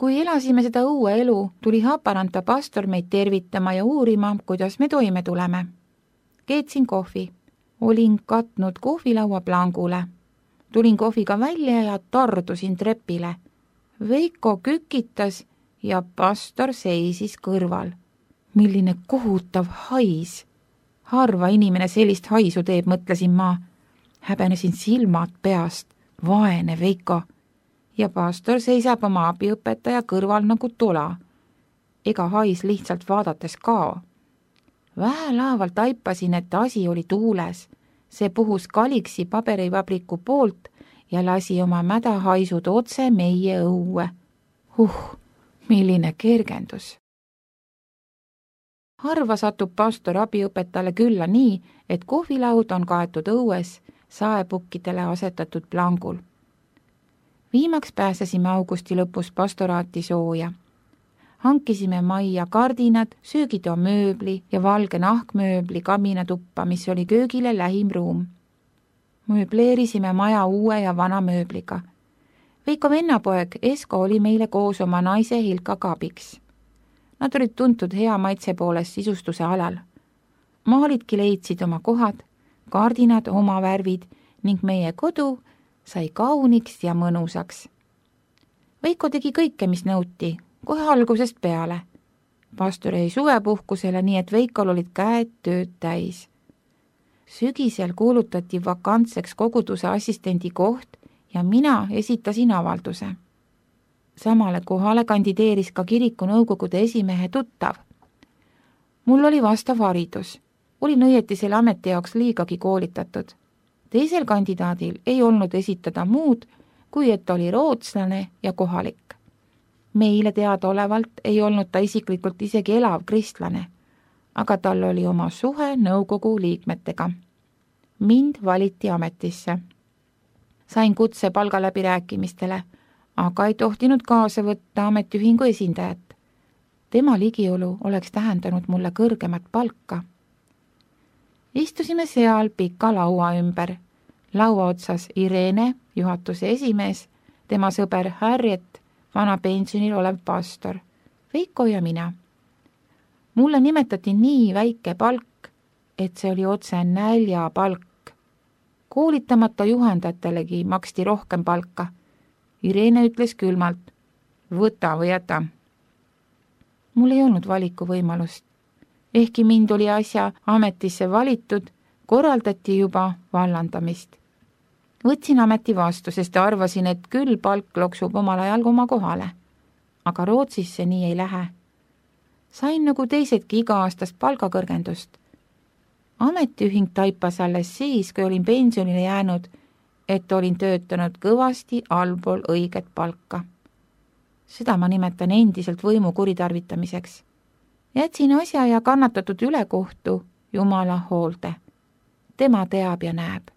Kui elasime seda õue elu, tuli Haparanta pastor meid tervitama ja uurima, kuidas me toime tuleme. Keetsin kohvi. Olin katnud kohvilaua plangule. Tulin kohviga välja ja tardusin trepile. Veiko kükitas ja pastor seisis kõrval. Milline kohutav hais. Harva inimene sellist haisu teeb, mõtlesin ma. Häbenesin silmad peast. Vaene Veiko. Ja pastor seisab oma abiõpetaja kõrval nagu tola. Ega hais lihtsalt vaadates kao. Vähelaaval taipasin, et asi oli tuules. See puhus Kaliksi paberivabriku poolt ja lasi oma mädahaisud otse meie õue. Milline kergendus. Harva satub pastor abiõpetajale külla nii, et kohvilaud on kaetud õues saepukkidele asetatud plangul. Viimaks pääsesime augusti lõpus pastoraati sooja. Hankisime majja kardinad, söögitoa mööbli ja valge nahkmööbli kaminatuppa, mis oli köögile lähim ruum. Mööbleerisime maja uue ja vana mööbliga. Veiko vennapoeg Esko oli meile koos oma naise Hilkaga abiks. Nad olid tuntud hea maitse poolest sisustuse alal. Maalidki leidsid oma kohad, kardinad oma värvid ning meie kodu sai kauniks ja mõnusaks. Veiko tegi kõike, mis nõuti, kohe algusest peale. Pastor jäi suvepuhkusele, nii et Veikol olid käed tööd täis. Sügisel kuulutati vakantseks koguduse assistendi koht ja mina esitasin avalduse. Samale kohale kandideeris ka kiriku nõukogude esimehe tuttav. Mul oli vastav haridus. Olin õieti selle ameti jaoks liigagi koolitatud. Teisel kandidaadil ei olnud esitada muud, kui et oli rootslane ja kohalik. Meile teadaolevalt ei olnud ta isiklikult isegi elav kristlane, aga tal oli oma suhe nõukogu liikmetega. Mind valiti ametisse. Sain kutse palgaläbirääkimistele, aga ei tohtinud kaasa võtta ametiühingu esindajat. Tema ligiolu oleks tähendanud mulle kõrgemat palka. Istusime seal pika laua ümber. Laua otsas Irene, juhatuse esimees, tema sõber Harriet, vana pensionil olev pastor, Veiko ja mina. Mulle nimetati nii väike palk, et see oli otse näljapalk. Koolitamata juhendajatelegi maksti rohkem palka. Irene ütles külmalt, võta või jäta. Mul ei olnud valikuvõimalust. Ehkki mind oli asja ametisse valitud, korraldati juba vallandamist. Võtsin ameti vastu, sest arvasin, et küll palk loksub omal ajal oma kohale. Aga Rootsis see nii ei lähe. Sain nagu teisedki iga-aastast palgakõrgendust. Ametiühing taipas alles siis, kui olin pensionile jäänud, et olin töötanud kõvasti allpool õiget palka. Seda ma nimetan endiselt võimu kuritarvitamiseks. Jätsin asja ja kannatatud ülekohtu Jumala hoolde. Tema teab ja näeb.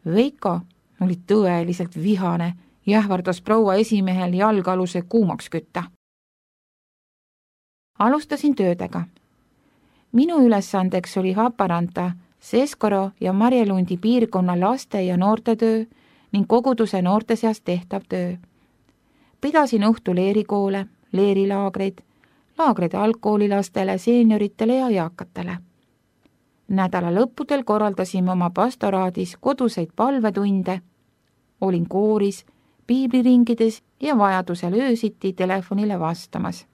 Veiko oli tõeliselt vihane ja ähvardas proua esimehel jalgaluse kuumaks kütta. Alustasin töödega. Minu ülesandeks oli Haparanta, Seskoro ja Marjelundi piirkonna laste- ja noortetöö ning koguduse noorte seas tehtav töö. Pidasin õhtul leerikoole, leerilaagreid, laagreid algkoolilastele, seenioritele ja eakatele. Nädala lõppudel korraldasime oma pastoraadis koduseid palvetunde, olin kooris, piibliringides ja vajadusel öösiti telefonile vastamas.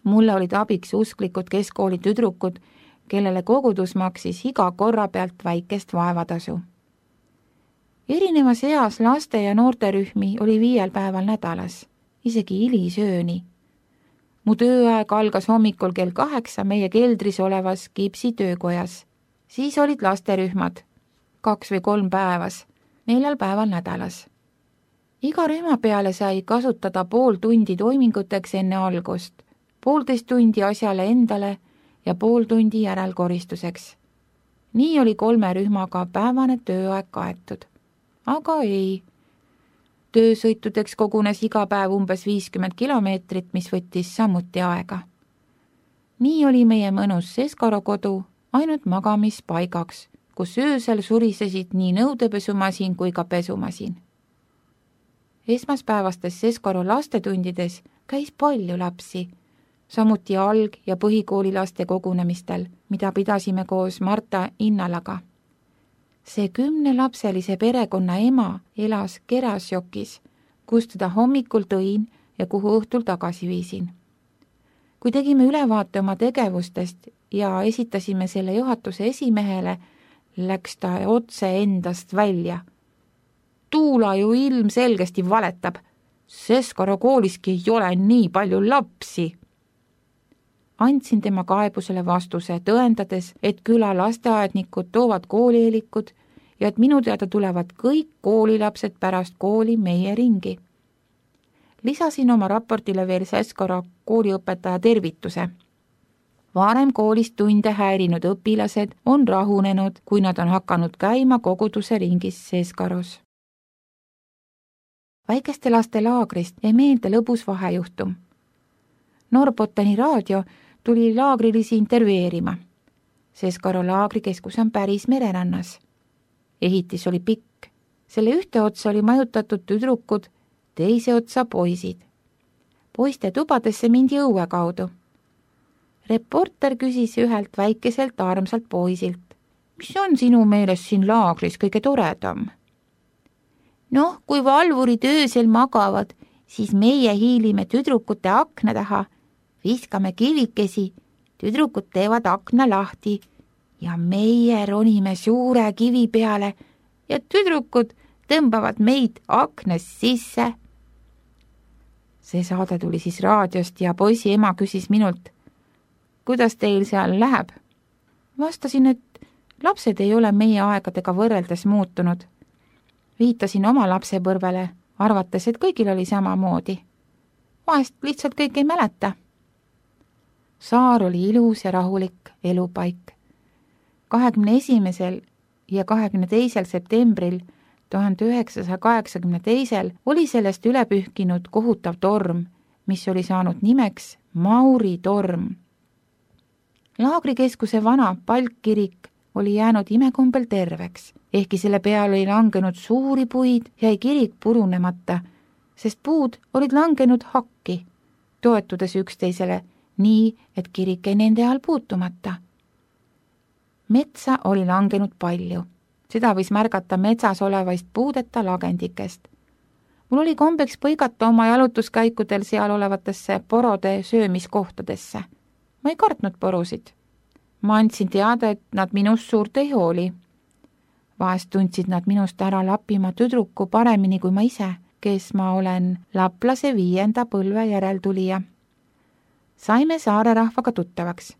Mulle olid abiks usklikud keskkooli tüdrukud, kellele kogudus maksis iga korra pealt väikest vaevatasu. Erinevas eas laste- ja noorterühmi oli 5 päeval nädalas, isegi hilisööni. Mu tööaeg algas hommikul kell 8 meie keldris olevas Kipsi töökojas. Siis olid lasterühmad, 2 või 3 päevas, 4 päeval nädalas. Iga rühma peale sai kasutada pool tundi toiminguteks enne algust, 1,5 tundi asjale endale ja 0,5 tundi järelkoristuseks. Nii oli 3 rühmaga päevane tööaeg kaetud. Aga ei. Töösõitudeks kogunes iga päev umbes 50 kilomeetrit, mis võttis samuti aega. Nii oli meie mõnus Seskoro kodu ainult magamispaigaks, kus öösel surisesid nii nõudepesumasin kui ka pesumasin. esmaspäevastes Seskoro lastetundides käis palju lapsi, samuti alg- ja põhikoolilaste kogunemistel, mida pidasime koos Marta Innalaga. See 10-lapselise perekonna ema elas Kerasjokis, kust teda hommikul tõin ja kuhu õhtul tagasi viisin. Kui tegime ülevaate oma tegevustest ja esitasime selle juhatuse esimehele, läks ta otse endast välja. Tuula ju ilmselgesti valetab. Seskoro kooliski ei ole nii palju lapsi. Andsin tema kaebusele vastuse, tõendades, et küla lasteaednikud toovad koolieelikud ja et minu teada tulevad kõik koolilapsed pärast kooli meie ringi. Lisasin oma raportile veel Seskoro kooliõpetaja tervituse. Varem koolist tunde häirinud õpilased on rahunenud, kui nad on hakanud käima koguduse ringis Seskoros. Väikeste laste laagrist jäi meelde lõbus vahejuhtum. Norbotteni raadio tuli laagrilisi intervjueerima. Seskoro laagrikeskus on päris mererannas. Ehitis oli pikk. Selle ühte otsa oli majutatud tüdrukud, teise otsa poisid. Poiste tubadesse mindi õue kaudu. Reporter küsis ühelt väikeselt armsalt poisilt, mis on sinu meelest siin laagris kõige toredam? Noh, kui valvurid öösel magavad, siis meie hiilime tüdrukute akna taha, viskame kivikesi, tüdrukud teevad akna lahti ja meie ronime suure kivi peale ja tüdrukud tõmbavad meid aknast sisse. See saade tuli siis raadiost ja poisi ema küsis minult, kuidas teil seal läheb? Vastasin, et lapsed ei ole meie aegadega võrreldes muutunud. Viitasin oma lapsepõrvele, arvates, et kõigil oli samamoodi. Vahest lihtsalt kõik ei mäleta. Saar oli ilus ja rahulik elupaik. 21. ja 22. septembril 1982 oli sellest üle pühkinud kohutav torm, mis oli saanud nimeks Mauri torm. Laagrikeskuse vana palkkirik oli jäänud imekombel terveks, ehkki selle peal oli langenud suuri puid, jäi kirik purunemata, sest puud olid langenud hakki, toetudes üksteisele nii, et kirik jäi nende all puutumata. Metsa oli langenud palju, seda võis märgata metsas olevaist puudeta lagendikest. Mul oli kombeks põigata oma jalutuskäikudel seal olevatesse porode söömiskohtadesse. Ma ei kartnud porusid. Ma andsin teada, et nad minust suurt ei hooli. Vahest tundsid nad minust ära Lapimaa tüdruku paremini kui ma ise, kes ma olen laplase 5. põlve järeltulija. Saime saare rahvaga tuttavaks.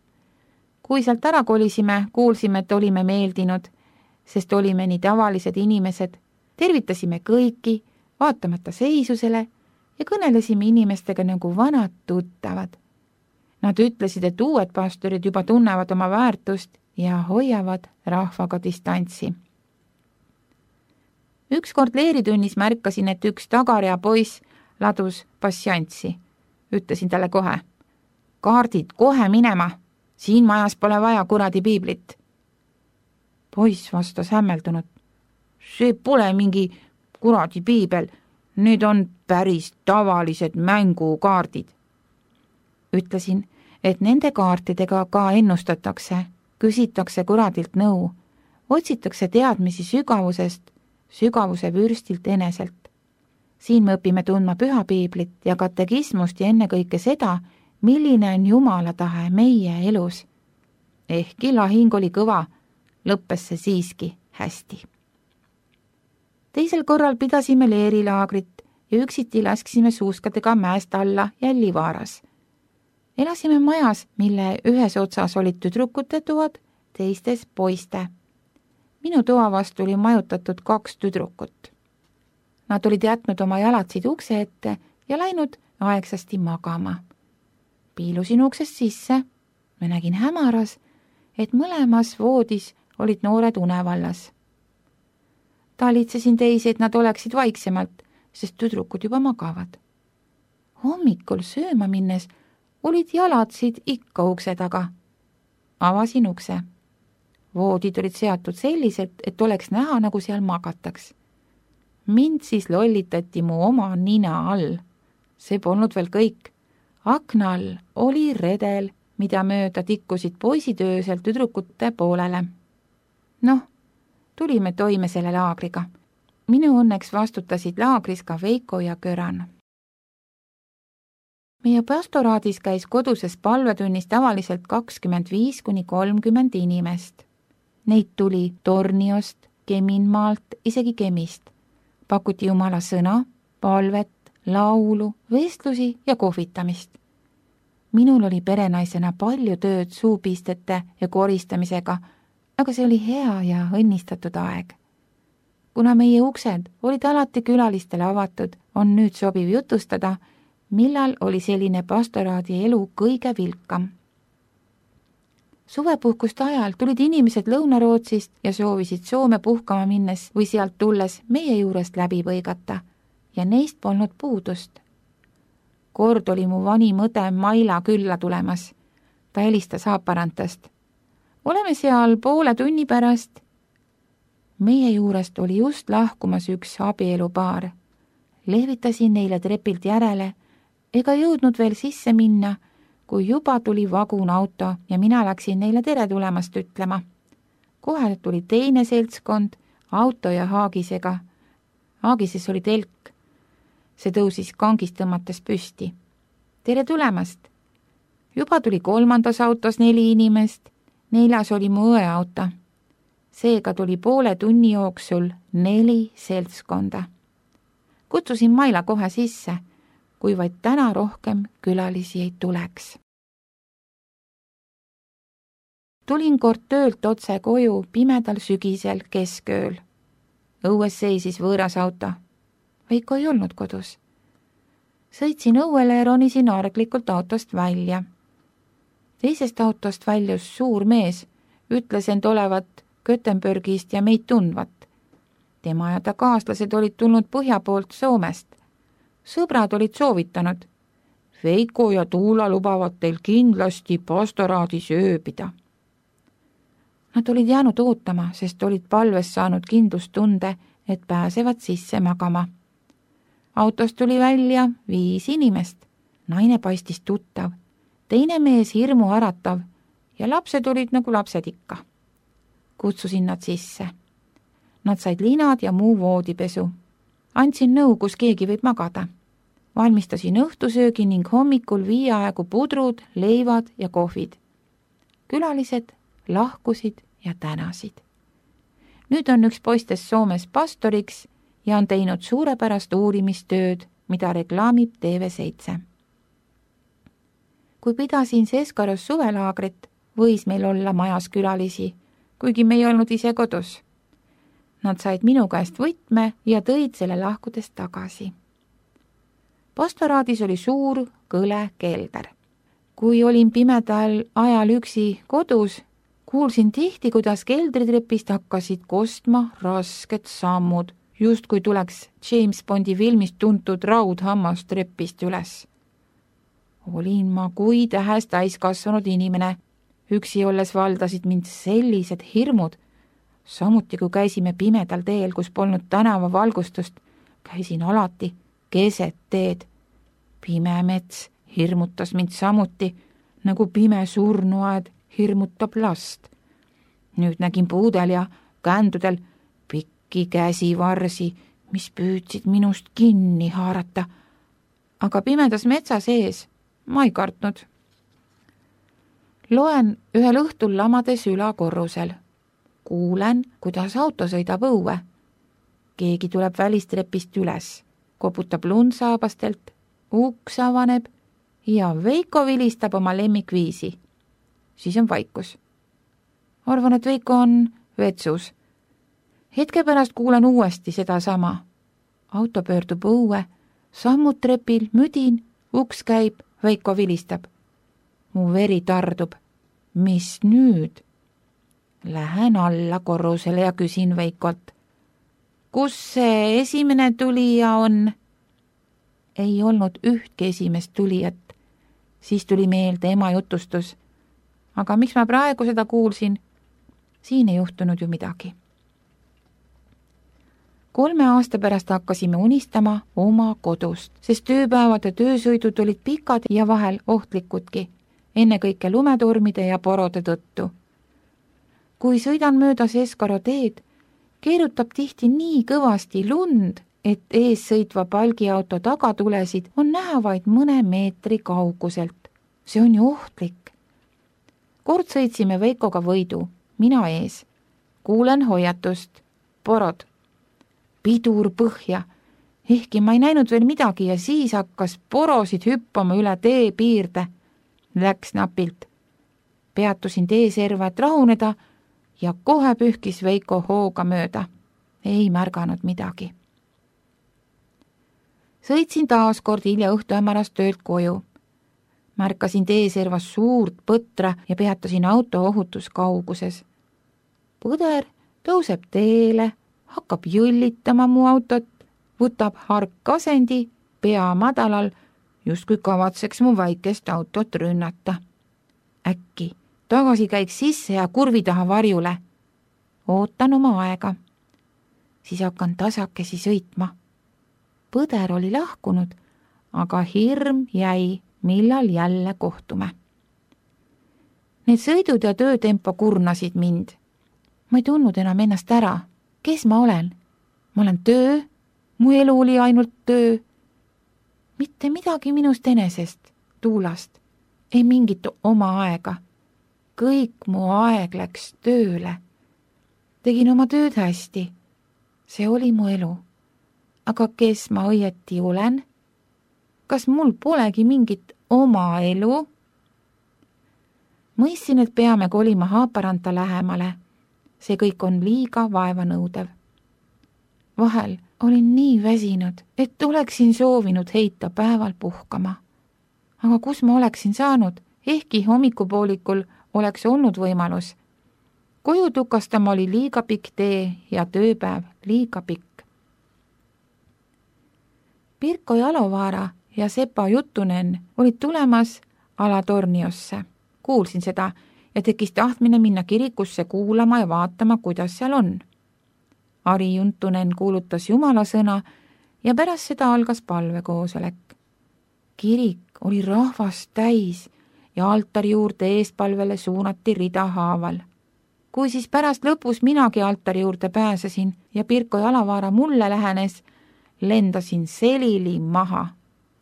Kui sealt ära kolisime, kuulsime, et olime meeldinud, sest olime nii tavalised inimesed, tervitasime kõiki, vaatamata seisusele ja kõnelesime inimestega nagu vanad tuttavad. Nad ütlesid, et uued pastorid juba tunnevad oma väärtust ja hoiavad rahvaga distantsi. Ükskord leeritunnis märkasin, et üks tagarea poiss ladus passiantsi. Ütlesin talle kohe, kaardid kohe minema, siin majas pole vaja kuradi piiblit. Poiss vastas hämmeldunud, see pole mingi kuradi piibel, need on päris tavalised mängukaardid. Ütlesin, et nende kaartidega ka ennustatakse, küsitakse kuradilt nõu, otsitakse teadmisi sügavusest, sügavuse vürstilt eneselt. Siin me õpime tundma püha piiblit ja katekismust ja ennekõike seda, milline on Jumala tahe meie elus. Ehkki lahing oli kõva, lõppes see siiski hästi. Teisel korral pidasime leerilaagrit ja üksiti lasksime suuskadega mäest alla Jällivaaras. Elasime majas, mille ühes otsas olid tüdrukute toad, teistes poiste. Minu toa vastu oli majutatud 2 tüdrukut. Nad olid jätnud oma jalatsid ukse ette ja läinud aegsasti magama. Piilusin uksest sisse, ma nägin hämaras, et mõlemas voodis olid noored unevallas. Talitsesin teisi, et nad oleksid vaiksemalt, sest tüdrukud juba magavad. Hommikul sööma minnes olid jalatsid ikka ukse taga. Avasin ukse. Voodid olid seatud selliselt, et oleks näha, nagu seal magataks. Mind siis lollitati mu oma nina all. See polnud veel kõik. Akna all oli redel, mida mööda tikkusid poisid öösel tüdrukute poolele. Noh, tulime toime selle laagriga. Minu õnneks vastutasid laagris ka Veiko ja Köran. Meie pastoraadis käis koduses palvetunnis tavaliselt 25–30 inimest. Neid tuli Torniost, Keminmaalt, isegi Kemist. Pakuti Jumala sõna, palvet, laulu, vestlusi ja kohvitamist. Minul oli perenaisena palju tööd suupistete ja koristamisega, aga see oli hea ja õnnistatud aeg. Kuna meie uksed olid alati külalistele avatud, on nüüd sobiv jutustada, millal oli selline pastoraadi elu kõige vilkam. Suvepuhkuste ajal tulid inimesed Lõuna-Rootsist ja soovisid Soome puhkama minnes või sealt tulles meie juurest läbi põigata ja neist polnud puudust. Kord oli mu vanim õde Maila külla tulemas. Ta helistas Haaparantast. Oleme seal poole tunni pärast. Meie juurest oli just lahkumas üks abielupaar. Lehvitasin neile trepilt järele ega jõudnud veel sisse minna, kui juba tuli vagunauto ja mina läksin neile tere tulemast ütlema. Kohe tuli teine seltskond, auto ja haagisega. Haagises oli telk. See tõusis kangist tõmmates püsti. Tere tulemast! Juba tuli kolmandas autos 4 inimest, 4. oli mu õe auto. Seega tuli poole tunni jooksul 4 seltskonda. Kutsusin Maila kohe sisse, kui vaid täna rohkem külalisi ei tuleks. Tulin kord töölt otse koju pimedal sügisel keskööl. Õues seisis võõras auto. Veiko ei olnud kodus. Sõitsin õuele ja ronisin arglikult autost välja. Teisest autost väljus suur mees, ütles end olevat Göteborgist ja meid tundvat. Tema ja ta kaaslased olid tulnud põhja poolt Soomest. Sõbrad olid soovitanud. Veiko ja Tuula lubavad teil kindlasti pastoraadis ööbida. Nad olid jäänud ootama, sest olid palves saanud kindlustunde, et pääsevad sisse magama. Autost tuli välja 5 inimest. Naine paistis tuttav, teine mees hirmu äratav ja lapsed olid nagu lapsed ikka. Kutsusin nad sisse. Nad said linad ja muu voodipesu. Andsin nõu, kus keegi võib magada. Valmistasin õhtusöögi ning hommikul 5 aegu pudrud, leivad ja kohvid. Külalised lahkusid ja tänasid. Nüüd on üks poistest Soomes pastoriks ja on teinud suurepärast uurimistööd, mida reklaamib TV7. Kui pidasin Seskaros suvelaagrit, võis meil olla majas külalisi, kuigi me ei olnud ise kodus. Nad said minu käest võtme ja tõid selle lahkudes tagasi. Pastoraadis oli suur kõle kelder. Kui olin pimedal ajal üksi kodus, kuulsin tihti, kuidas keldritrepist hakkasid kostma rasked sammud, just kui tuleks James Bondi filmist tuntud raudhammas trepist üles. Olin ma kui tähes täiskasvanud inimene. Üksi olles valdasid mind sellised hirmud. Samuti kui käisime pimedal teel, kus polnud tänavavalgustust, käisin alati keset teed. Pime mets hirmutas mind samuti, nagu pime surnuaed hirmutab last. Nüüd nägin puudel ja kändudel pikki käsivarsi, mis püüdsid minust kinni haarata. Aga pimedas metsa sees ma ei kartnud. Loen ühel õhtul lamades ülakorrusel. Kuulen, kuidas auto sõidab õue. Keegi tuleb välistrepist üles, koputab lundsaabastelt, uks avaneb ja Veiko vilistab oma lemmikviisi. Siis on vaikus. Arvan, et Veiko on vetsus. Hetke pärast kuulen uuesti seda sama. Auto pöördub õue, sammud trepil, müdin, uks käib, Veiko vilistab. Mu veri tardub. Mis nüüd? Lähen alla korrusele ja küsin Veikolt. Kus see esimene tulija on? Ei olnud ühtki esimest tulijat. Siis tuli meelde ema jutustus. Aga miks ma praegu seda kuulsin? Siin ei juhtunud ju midagi. 3 aasta pärast hakkasime unistama oma kodust, sest tööpäevad ja töösõidud olid pikad ja vahel ohtlikudki, ennekõike lumetormide ja porode tõttu. Kui sõidan mööda Seskaro teed, keerutab tihti nii kõvasti lund, et ees sõitva palgiauto tagatulesid on näha vaid mõne meetri kauguselt. See on ju ohtlik. Kord sõitsime Veikoga võidu, mina ees. Kuulen hoiatust. Porod. Pidur põhja. Ehkki ma ei näinud veel midagi ja siis hakkas porosid hüppama üle tee piirde. Läks napilt. Peatusin teeserva, et rahuneda ja kohe pühkis Veiko hooga mööda. Ei märganud midagi. Sõitsin taas kord hilja õhtuhämarast töölt koju. Märkasin teeservas suurt põtra ja peatasin auto ohutuskauguses. Põder tõuseb teele, hakkab jõllitama mu autot, võtab hark asendi, pea madalal, justkui kavatseks mu väikest autot rünnata. Äkki tagasi käiks sisse ja kurvi taha varjule. Ootan oma aega. Siis hakkan tasakesi sõitma. Põder oli lahkunud, aga hirm jäi, millal jälle kohtume. Need sõidud ja töötempo kurnasid mind. Ma ei tundnud enam ennast ära. Kes ma olen? Ma olen töö, mu elu oli ainult töö. Mitte midagi minust enesest, Tuulast, ei mingit oma aega. Kõik mu aeg läks tööle. Tegin oma tööd hästi. See oli mu elu. Aga kes ma õieti olen? Kas mul polegi mingit oma elu? Mõistsin, et peame kolima Haaparanta lähemale. See kõik on liiga vaevanõudev. Vahel olin nii väsinud, et oleksin soovinud heita päeval puhkama. Aga kus ma oleksin saanud, ehkki hommikupoolikul oleks olnud võimalus. Koju tukastama oli liiga pikk tee ja tööpäev liiga pikk. Pirko Jalovaara ja Sepa Juttunen olid tulemas Alatorniosse. Kuulsin seda ja tekkis tahtmine minna kirikusse kuulama ja vaatama, kuidas seal on. Ari Juntunen kuulutas Jumala sõna ja pärast seda algas palvekoosolek. Kirik oli rahvast täis ja altari juurde eespalvele suunati rida haaval. Kui siis pärast lõpus minagi altari juurde pääsesin ja Pirko Jalovaara mulle lähenes, lendasin selili maha.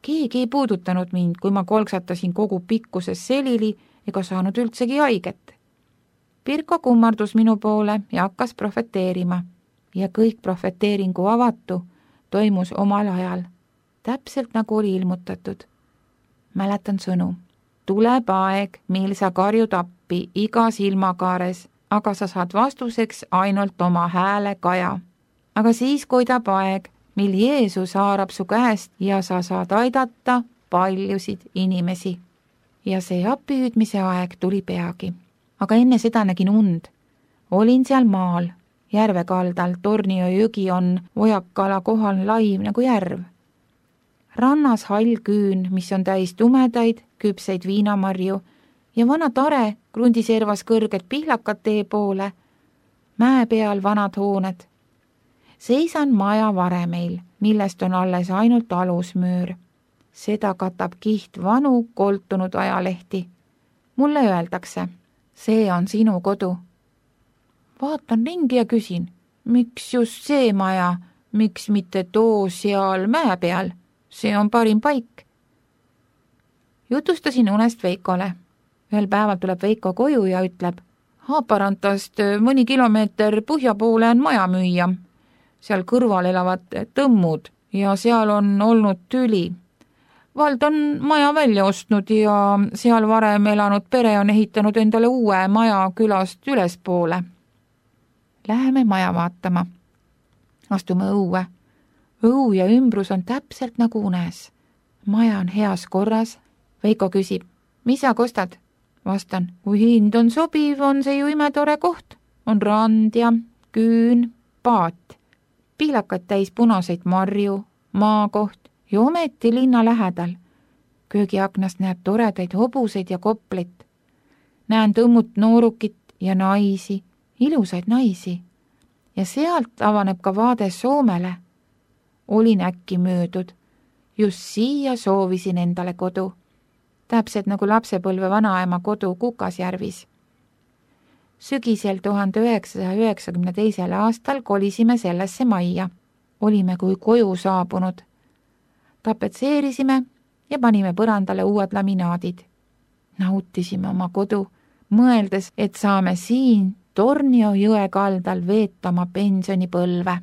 Keegi ei puudutanud mind, kui ma kolksatasin kogu pikkuses selili ega saanud üldsegi haiget. Pirko kummardus minu poole ja hakkas profeteerima. Ja kõik profeteeringu avatu toimus omal ajal, täpselt nagu oli ilmutatud. Mäletan sõnu. Tuleb aeg, mil sa karjud appi iga silmakaares, aga sa saad vastuseks ainult oma hääle kaja. Aga siis koidab aeg, mil Jeesus haarab su käest ja sa saad aidata paljusid inimesi. Ja see appihüüdmise aeg tuli peagi. Aga enne seda nägin und. Olin seal maal, järve kaldal, Tornio jõgi on Ojakala kohal laiv nagu järv. Rannas hall küün, mis on täis tumedaid, küpseid viinamarju ja vana tare krundiservas kõrged pihlakad tee poole, mäe peal vanad hooned. Seisan maja varemeil, millest on alles ainult alusmüür. Seda katab kiht vanu koltunud ajalehti. Mulle öeldakse, see on sinu kodu. Vaatan ringi ja küsin, miks just see maja, miks mitte too seal mäe peal? See on parim paik. Jutustasin unest Veikole. Ühel päeval tuleb Veiko koju ja ütleb, Haaparantast mõni kilomeeter põhja poole on maja müüa. Seal kõrval elavad tõmmud ja seal on olnud tüli. Vald on maja välja ostnud ja seal varem elanud pere on ehitanud endale uue maja külast ülespoole. Läheme maja vaatama. Astume õue. Õu ja ümbrus on täpselt nagu unes. Maja on heas korras. Veiko küsib, mis sa kostad? Vastan, kui hind on sobiv, on see ju imetore koht. On rand ja küün, paat. Pihlakad täis punaseid marju, maakoht ja ometi linna lähedal. Köögiaknast näeb toredaid hobuseid ja koplit. Näen tõmmut noorukit ja naisi, ilusaid naisi. ja sealt avaneb ka vaade Soomele. Olin äkki möödud. Just siia soovisin endale kodu. Täpselt nagu lapsepõlve vanaema kodu Kukasjärvis. Sügisel 1992. aastal kolisime sellesse majja. Olime kui koju saabunud. Tapetseerisime ja panime põrandale uued laminaadid. Nautisime oma kodu, mõeldes, et saame siin Tornio jõe kaldal veeta oma pensionipõlve.